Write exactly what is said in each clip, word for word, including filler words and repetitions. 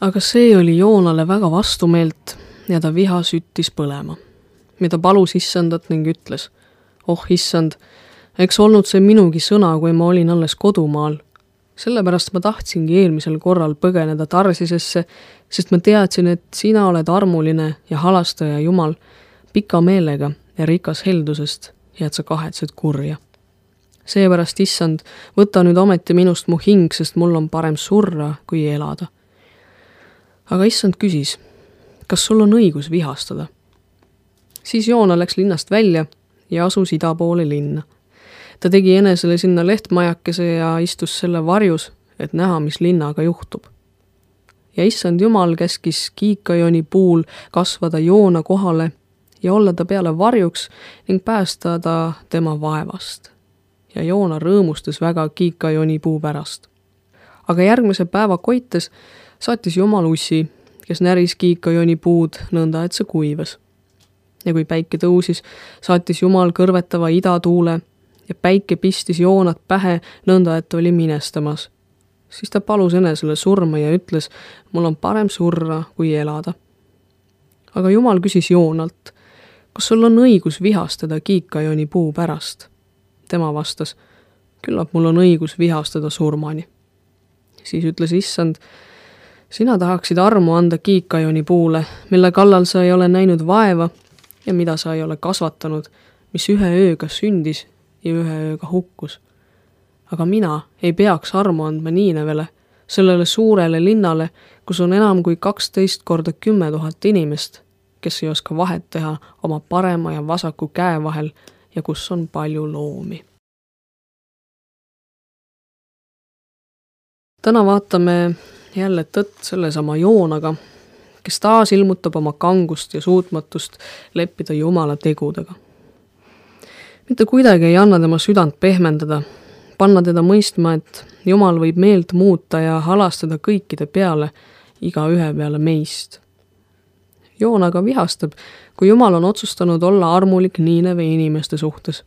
Aga see oli Joonale väga vastumeelt ja ta viha süttis põlema, mida palus issandat ning ütles, oh issand, eks olnud see minugi sõna, kui ma olin alles kodumaal. Sellepärast ma tahtsingi eelmisel korral põgeneda Tarsisesse, sest ma teadsin, et sina oled armuline ja halastaja Jumal, pika meelega ja rikas heldusest ja et sa kahetsed kurja. Seepärast, issand, võta nüüd ometi minust mu hing, sest mul on parem surra kui elada. Aga issand küsis, kas sul on õigus vihastada? Siis Joona läks linnast välja ja asus ida poole linna. Ta tegi enesele sinna lehtmajakese ja istus selle varjus, et näha, mis linnaga juhtub. Ja issand Jumal käskis kiikajoni puul kasvada Joona kohale ja olla ta peale varjuks ning päästa ta tema vaevast. Ja Joona rõõmustas väga kiikajoni puu pärast. Aga järgmise päeva koites saatis Jumal ussi, kes näris kiikajoni puud nõnda, et see kuivas. Ja kui päike tõusis, saatis Jumal kõrvetava idatuule ja päike pistis Joonat pähe nõnda, et oli minestamas. Siis ta palus enesele surma ja ütles, mul on parem surra kui elada. Aga Jumal küsis Joonalt, kas sul on õigus vihastada kiikajoni puu pärast? Tema vastas, küllap mul on õigus vihastada surmani. Siis ütles issand, sina tahaksid armu anda kiikajoni puule, mille kallal sa ei ole näinud vaeva ja mida sa ei ole kasvatanud, mis ühe ööga sündis ja ühe ööga hukkus. Aga mina ei peaks armu andma Niinevele, sellele suurele linnale, kus on enam kui kaksteist korda kümme tuhat inimest, kes ei oska vahet teha oma parema ja vasaku käe vahel ja kus on palju loomi. Täna vaatame jälle tõtt sellesama Joonaga, kes taas ilmutab oma kangust ja suutmatust leppida Jumala tegudega. Mitte kuidagi ei anna tema südant pehmendada, panna teda mõistma, et Jumal võib meelt muuta ja halastada kõikide peale, iga ühe peale meist. Joonaga vihastab, kui Jumal on otsustanud olla armulik Niineve inimeste suhtes.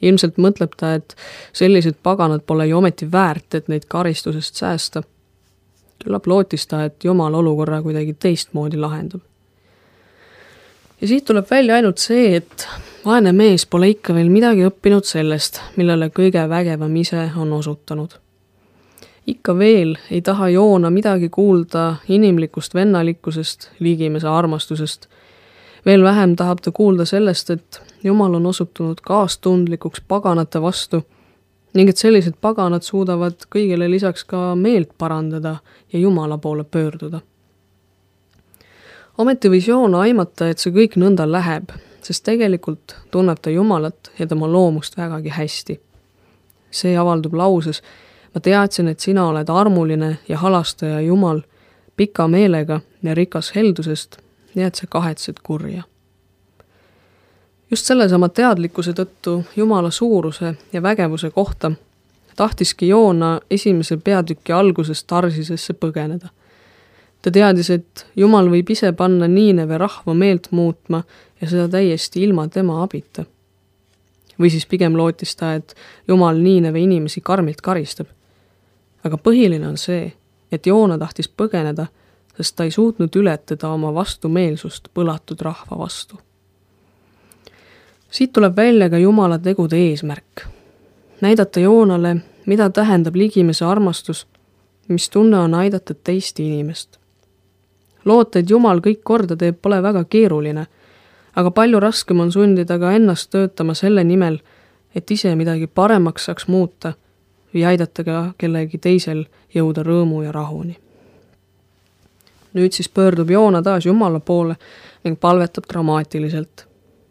Ilmselt mõtleb ta, et sellised paganad pole ju ometi väärt, et neid karistusest säästa. Küllap lootis ta, et Jumal olukorra kuidagi teistmoodi lahendab. Ja siit tuleb välja ainult see, et vaene mees pole ikka veel midagi õppinud sellest, millele kõige vägevam ise on osutanud. Ikka veel ei taha Joona midagi kuulda inimlikust vennalikkusest, liigimese armastusest. Veel vähem tahab ta kuulda sellest, et Jumal on osutunud kaastundlikuks paganate vastu ning et sellised paganad suudavad kõigele lisaks ka meelt parandada ja Jumala poole pöörduda. Ometi võis Joona aimata, et see kõik nõnda läheb, sest tegelikult tunneb ta Jumalat ja tema loomust vägagi hästi. See avaldub lauses, ma teadsin, et sina oled armuline ja halastaja Jumal, pika meelega ja rikas heldusest ja et sa kahetsed kurja. Just sellesama teadlikkuse tõttu Jumala suuruse ja vägevuse kohta tahtiski Joona esimese peatüki algusest Tarsisesse põgeneda. Ta teadis, et Jumal võib ise panna Niineve rahva meelt muutma ja seda täiesti ilma tema abita. Või siis pigem lootis ta, et Jumal Niineve inimesi karmilt karistab. Aga põhiline on see, et Joona tahtis põgeneda, sest ta ei suutnud ületada oma vastumeelsust põlatud rahva vastu. Siit tuleb välja ka Jumala tegude eesmärk. Näidata Joonale, mida tähendab ligimese armastus, mis tunne on aidata teist inimest. Loota, et Jumal kõik korda teeb, pole väga keeruline, aga palju raskem on sundida ka ennast töötama selle nimel, et ise midagi paremaks saaks muuta või aidata ka kellegi teisel jõuda rõõmu ja rahuni. Nüüd siis pöördub Joona taas Jumala poole ning palvetab dramaatiliselt.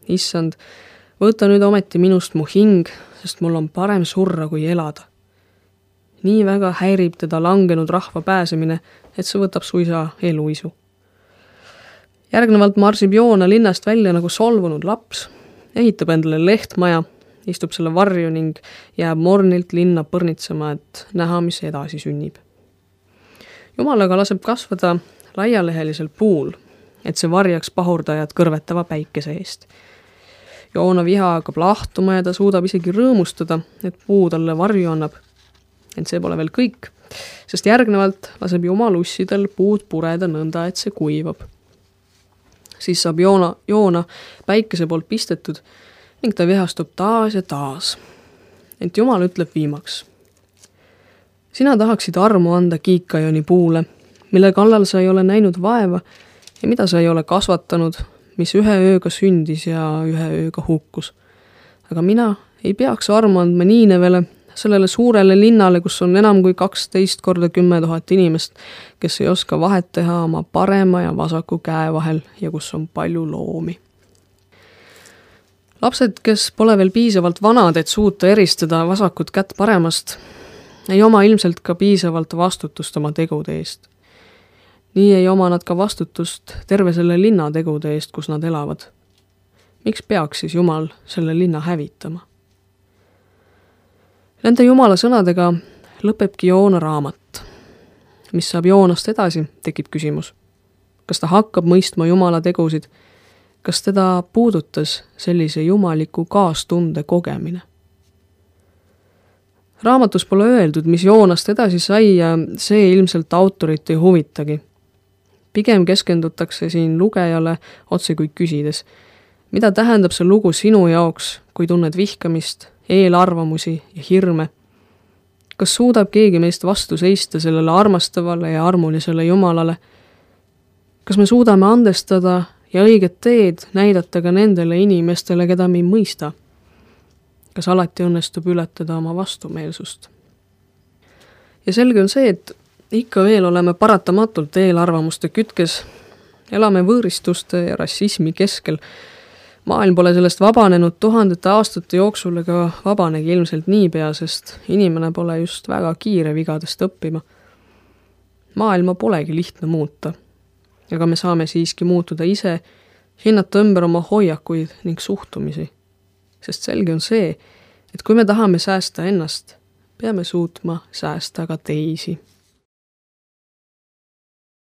Issand, võta nüüd ometi minust mu hing, sest mul on parem surra kui elada. Nii väga häirib teda langenud rahva pääsemine, et see võtab suisa eluisu. Järgnevalt marsib Joona linnast välja nagu solvunud laps, ehitab endale lehtmaja, istub selle varju ning jääb mornilt linna põrnitsema, et näha, mis edasi sünnib. Jumal aga laseb kasvada laialehelisel puul, et see varjaks pahurdajad kõrvetava päikese eest. Joona viha hakkab lahtuma ja ta suudab isegi rõõmustada, et puu talle varju annab. Ent see pole veel kõik. sest järgnevalt laseb Jumal ussidel puud pureda nõnda, et see kuivab. Siis saab joona, joona päikese poolt pistetud ning ta vihastub taas ja taas. Ent Jumal ütleb viimaks. Sina tahaksid armu anda kiikajoni puule, mille kallal sa ei ole näinud vaeva ja mida sa ei ole kasvatanud, mis ühe ööga sündis ja ühe ööga hukkus. Aga mina ei peaks armu andma Niinevele, sellele suurele linnale, kus on enam kui kaksteist korda kümme tuhat inimest, kes ei oska vahet teha oma parema ja vasaku käe vahel ja kus on palju loomi. Lapsed, kes pole veel piisavalt vanad, et suuta eristada vasakut kätt paremast, ei oma ilmselt ka piisavalt vastutust oma tegude eest. Nii ei oma nad ka vastutust terve selle linna tegude eest, kus nad elavad. Miks peaks siis Jumal selle linna hävitama? Nende Jumala sõnadega lõpebki Joona raamat. Mis saab Joonast edasi, tekib küsimus. Kas ta hakkab mõistma Jumala tegusid? Kas teda puudutas sellise jumaliku kaastunde kogemine? Raamatus pole öeldud, mis Joonast edasi sai ja see ilmselt autorit ei huvitagi. Pigem keskendutakse siin lugejale otse kui küsides. Mida tähendab see lugu sinu jaoks, kui tunned vihkamist, eelarvamusi ja hirme? Kas suudab keegi meist vastu seista sellele armastavale ja armulisele Jumalale? Kas me suudame andestada ja õiget teed näidata ka nendele inimestele, keda me ei mõista? Kas alati õnnestub ületada oma vastumeelsust? Ja selge on see, et ikka veel oleme paratamatult eelarvamuste kütkes, elame võõristuste ja rassismi keskel. Maailm pole sellest vabanenud tuhandete aastate jooksul ega vabanegi ilmselt niipea, sest inimene pole just väga kiire vigadest õppima. Maailma polegi lihtne muuta, aga me saame siiski muutuda ise, hinnata ümber oma hoiakuid ning suhtumisi. Sest selge on see, et kui me tahame säästa ennast, peame suutma säästa ka teisi.